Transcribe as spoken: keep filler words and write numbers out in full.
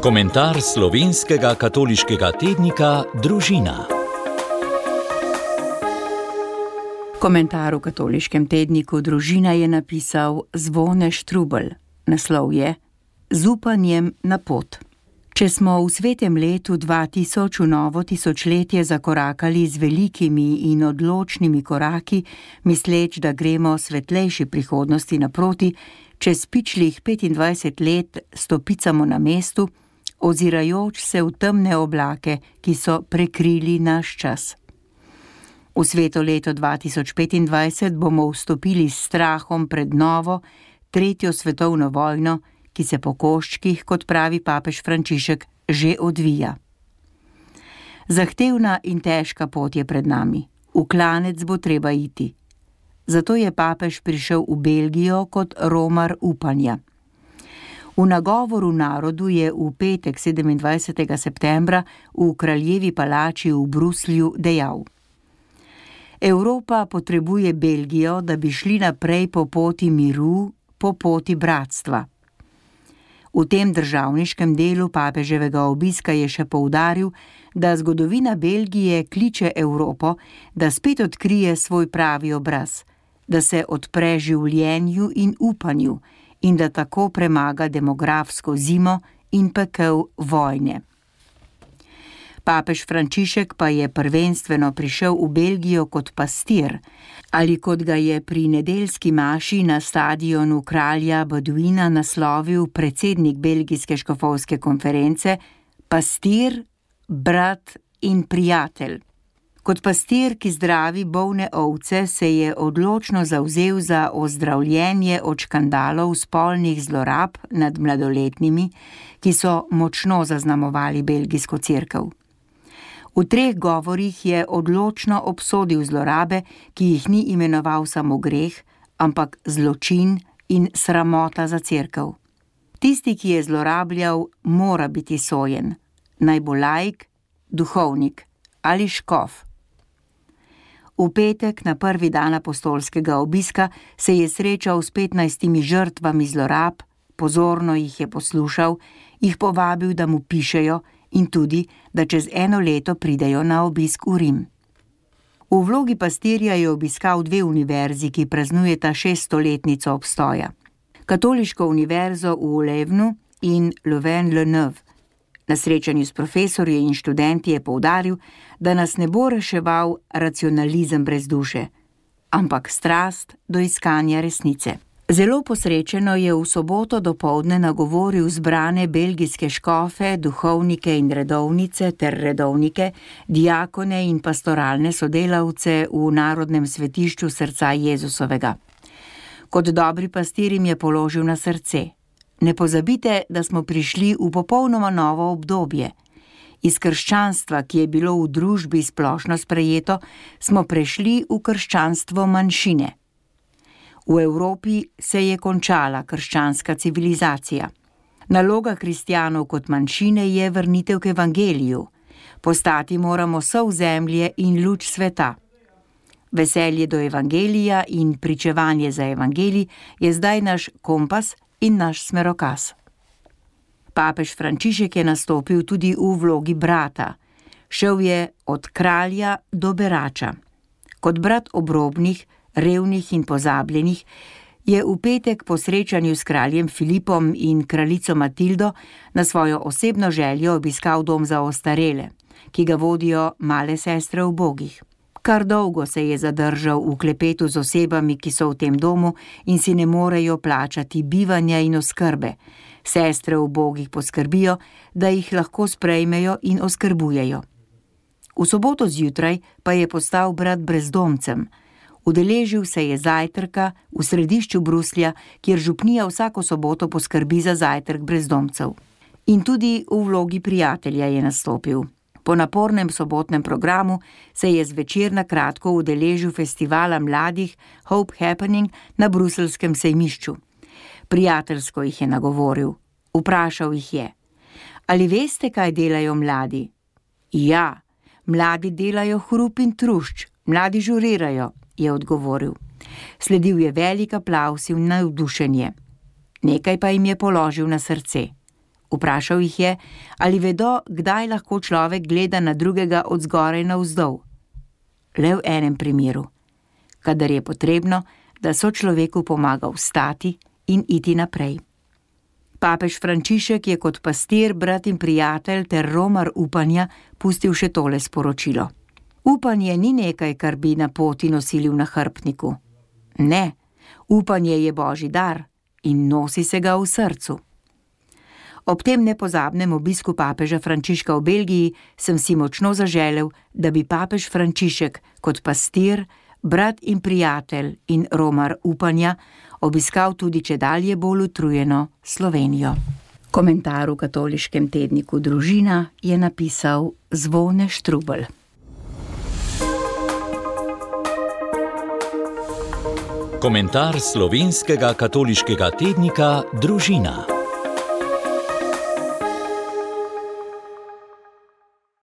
Komentar slovenskega katoliškega tednika Družina. Komentar v katoliškem tedniku Družina je napisal Zvone Štrubelj. Naslov je Z upanjem na pot. Če smo v svetem letu dva tisoč v novo tisočletje zakorakali z velikimi in odločnimi koraki, misleč, da gremo svetlejši prihodnosti naproti, čez pičlih petindvajset let stopicamo na mestu, ozirajoč se v temne oblake, ki so prekrili naš čas. V sveto leto dva tisoč petindvajset bomo vstopili s strahom pred novo, tretjo svetovno vojno, ki se po koščkih, kot pravi papež Frančišek, že odvija. Zahtevna in težka pot je pred nami, v klanec bo treba iti. Zato je papež prišel v Belgijo kot romar upanja. V nagovoru narodu je v petek sedemindvajsetega septembra v kraljevi palači v Bruslju dejal: Evropa potrebuje Belgijo, da bi šli naprej po poti miru, po poti bratstva. V tem državniškem delu papeževega obiska je še poudaril, da zgodovina Belgije kliče Evropo, da spet odkrije svoj pravi obraz, da se odpre življenju in upanju in da tako premaga demografsko zimo in pekel vojne. Papež Frančišek pa je prvenstveno prišel v Belgijo kot pastir, ali kot ga je pri nedeljski maši na stadionu kralja Baudouina naslovil predsednik belgijske škofovske konference, pastir, brat in prijatelj. Kot pastir, ki zdravi bolne ovce, se je odločno zavzel za ozdravljenje od škandalov spolnih zlorab nad mladoletnimi, ki so močno zaznamovali belgijsko cerkev. V treh govorih je odločno obsodil zlorabe, ki jih ni imenoval samo greh, ampak zločin in sramota za cerkev. Tisti, ki je zlorabljal, mora biti sojen, naj bo laik, duhovnik ali škof. V petek, na prvi dan apostolskega obiska, se je srečal s petnajstimi žrtvami zlorab, pozorno jih je poslušal, jih povabil, da mu pišejo in tudi, da čez eno leto pridejo na obisk v Rim. V vlogi pastirja je obiskal dve univerzi, ki praznujeta šeststoletnico obstoja. Katoliško univerzo v Levnu in Louvain-la-Neuve. Na srečanju s profesorji in študenti je poudaril, da nas ne bo reševal racionalizem brez duše, ampak strast do iskanja resnice. Zelo posrečeno je v soboto dopoldne nagovoril zbrane belgijske škofe, duhovnike in redovnice ter redovnike, diakone in pastoralne sodelavce v Narodnem svetišču srca Jezusovega. Kot dobri pastir jim je položil na srce: ne pozabite, da smo prišli v popolnoma novo obdobje. Iz krščanstva, ki je bilo v družbi splošno sprejeto, smo prešli v krščanstvo manjšine. V Evropi se je končala krščanska civilizacija. Naloga kristjanov kot manjšine je vrnitev k evangeliju. Postati moramo sol zemlje in luč sveta. Veselje do evangelija in pričevanje za evangelij je zdaj naš kompas in naš smerokaz. Papež Frančišek je nastopil tudi v vlogi brata. Šel je od kralja do berača. Kot brat obrobnih, revnih in pozabljenih, je v petek po srečanju s kraljem Filipom in kraljico Matildo na svojo osebno željo obiskal dom za ostarele, ki ga vodijo male sestre ubogih. Kar dolgo se je zadržal v klepetu z osebami, ki so v tem domu in si ne morejo plačati bivanja in oskrbe. Sestre ubogih poskrbijo, da jih lahko sprejmejo in oskrbujejo. V soboto zjutraj pa je postal brat brezdomcem. Udeležil se je zajtrka v središču Bruslja, kjer župnija vsako soboto poskrbi za zajtrk brezdomcev. In tudi v vlogi prijatelja je nastopil. Po napornem sobotnem programu se je zvečer na kratko udeležil festivala mladih Hope Happening na bruseljskem sejmišču. Prijateljsko jih je nagovoril. Vprašal jih je: ali veste, kaj delajo mladi? Ja, mladi delajo hrup in trušč, mladi žurirajo, je odgovoril. Sledil je velik aplavz in navdušenje. Nekaj pa jim je položil na srce. Vprašal jih je, ali vedo, kdaj lahko človek gleda na drugega od zgoraj navzdol. Le v enem primeru, kadar je potrebno, da so človeku pomaga vstati in iti naprej. Papež Frančišek je kot pastir, brat in prijatelj ter romar upanja pustil še tole sporočilo. Upanje ni nekaj, kar bi na poti nosili v nahrbtniku. Ne, upanje je Božji dar in nosi se ga v srcu. Ob tem nepozabnem obisku papeža Frančiška v Belgiji sem si močno zaželel, da bi papež Frančišek kot pastir, brat in prijatelj in romar upanja obiskal tudi čedalje bolj utrujeno Slovenijo. Komentar v katoliškem tedniku Družina je napisal Zvone Štrubelj. Komentar slovenskega katoliškega tednika Družina.